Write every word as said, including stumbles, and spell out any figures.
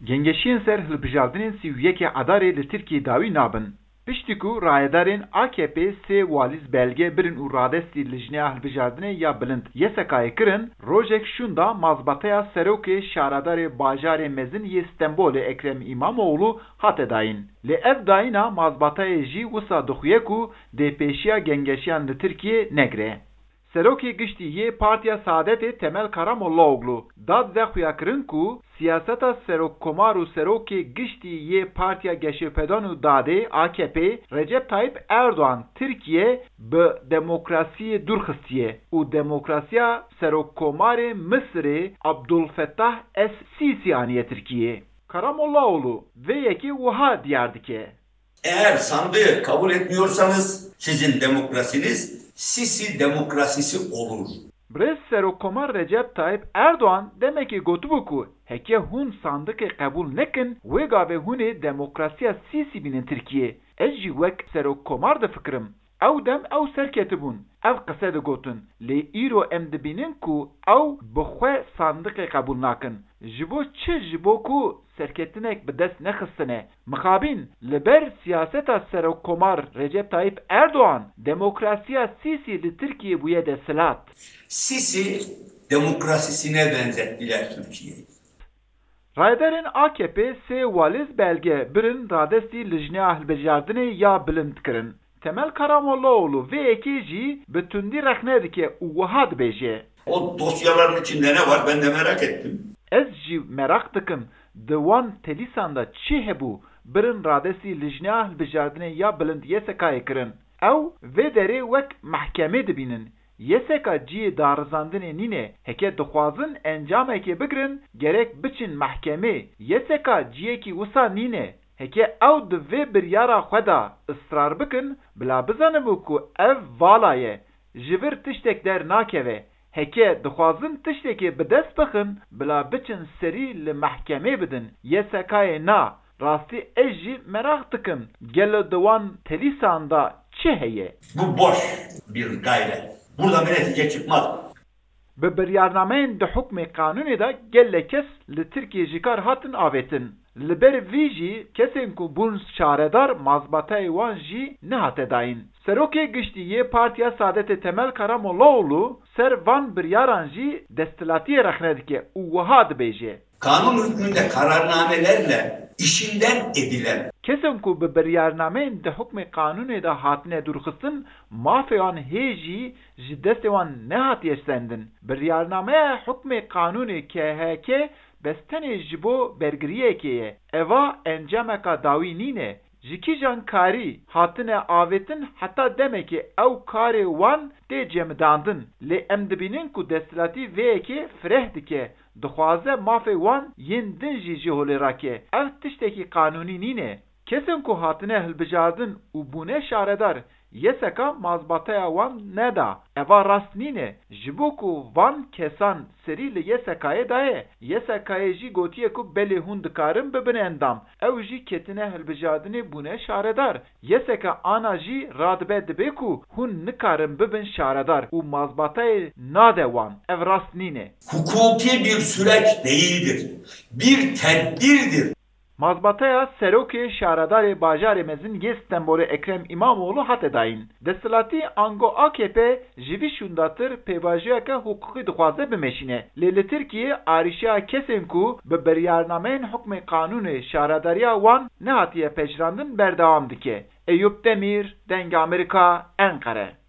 Gengeşiyên ser hilbijardinên sî û yekê Edarê li Tirkiyê dawî nabin. Piştî ku rayedarên A K P sê waliz belge birin û radestî Lijneya Hilbijardinê ya Bilind Y S K'yê kirin, rojek şûnda mazbateya serokê şaredarê bajarê mezin yê Stenbolê Ekrem Îmamoğlu hate dayîn. Lê ev dayîna mazbateyê jî wisa dixuye ku dê pêşiya gengeşiyan li Tirkiyê negire. Serokê Giştî yê Partiya Saadetê Temel Karamollaoglu da dide xuyakirin ku siyaseta Serokkomar û Serokê Giştî yê Partiya Geşepêdan û Dadê, A K P, Recep Tayyip Erdoğan Tirkiye bi demokrasiyê dûr xistiye û demokrasiya Serokkomarê Misirê Abdulfettah Es-Sîsî aniye Tirkiyê. Karamollaoglu vê yekê wiha diyar dike. Eğer sandığı kabul etmiyorsanız sizin demokrasiniz Sisi demokrasisi olur. Birêz Serokkomar Recep Tayyip Erdoğan demekê gotibû ku heke hûn sandiqê qebûl nekin, wê gavê hûn ê demokrasiya Sîsî bînin Tirkiyê. Ez jî wek Serokkomar difikirim. Ew dem ew serketibûn, ev qise digotin. Lê îro em dibînin ku ew bi xwe sandiqê qebûl nakin. Ji bo çi? Ji bo ku serketinek bi dest nexistine. Mixabin, li ber siyaseta Serokkomar Recep Tayyip Erdoğan, demokrasiya Sîsî li Tirkiyê bûye desthilat. Sisi demokrasisine benzettiler Türkiye'yi. Rayedarên A K P sê waliz belge birin radestî Lijneya Hilbijardinê ya Bilind kirin. Temel Karamollaoglu vê yekê jî bi tundî rexne dike û wiha dibêje. O dosyaların içinde ne var? Ben de merak ettim. Ez jî meraq dikim, di wan telîsan de çi hebû, birin radestî Lijneya Hilbijardinê ya Bilind Y S K'yê kirin. Ew vê derê wek mehkemê dibînin. Y S K cihê darizandinê nîne. Heke dixwazin encamekê bigirin, gerek biçin mehkemê. Y S K cihekî wisa nîne. Heke ew di vê biryara xwe de israr bikin, bila bizanibû ku ev vala ye, ji vir tiştek dernakeve. Heke dixwazin tiştekê bi dest bixin, bila biçin serî li mehkemê bidin. Y S K'yê na. Rastî ez jî meraq dikim, gelo di wan telîsan de çi heye? Bu boş bir gayret. Burada bir netice çıkmaz. Bi biryarnameyên di hukmê qanûnê de gelek kes li Tirkiyê ji kar hatin avêtin. Li ber vî jî kesên ku bûn şaredar mazbateyê wan jî nehate dayîn. Serokê Giştî yê Partiya Saadetê Temel Karamollaoglu ser van biryaran jî desthilatiyê rexne dike û wiha dibêje. Kanun hükmünde kararnamelerle işinden edilen. Kesên ku bi biryarnameyên di hukmê qanûnê de hatine dûrxistin, mafê wan hê jî ji destê wan nehatiye sendin. Biryarnameya hukmê qanûnê K H K bes tenê ji bo bergiriyekê ye. Eva encameka dawî nîne. Ji kîjan karî hatine avêtin heta demekê ew karê wan tê cemidandin. Lê em dibînin ku desthilatî vê yekê fireh dike. Dixwaze mafê wan yên din jî ji holê rake. Ev tiştekî qanûnî nîne. Kesên ku hatine hilbijardin û bûne şaredar, Y S K mazbateya wan neda. Eva rast nîne. Ji bo ku van kesan serî li Y S K'yê daye, Y S K'yê jî gotiye ku belê hûn dikarin bibin endam. Ew jî ketine hilbijardinê bûne şaredar. Y S K ana jî radibe dibe ku hûn nikarin bibin şaredar û mazbateyê nade wan. Ev rast nîne. Hukuki bir süreç değildir. Bir tedbirdir. Mazbateya serokê şaredarê bajarê mezin yê Stenbolê Ekrem Îmamoğlu hate dayîn. Desthilatî ango A K P ji vî şûndatir pêvajoyeke hiqûqî dixwaze bimeşîne. Lê li Tirkiyê arîşeya kesên ku bi biryarnameyên hukmê qanûnê şaredariya wan nehatiye pejirandin berdewam dike. Eyûp Demîr, Dengê Amerîka, Enqere.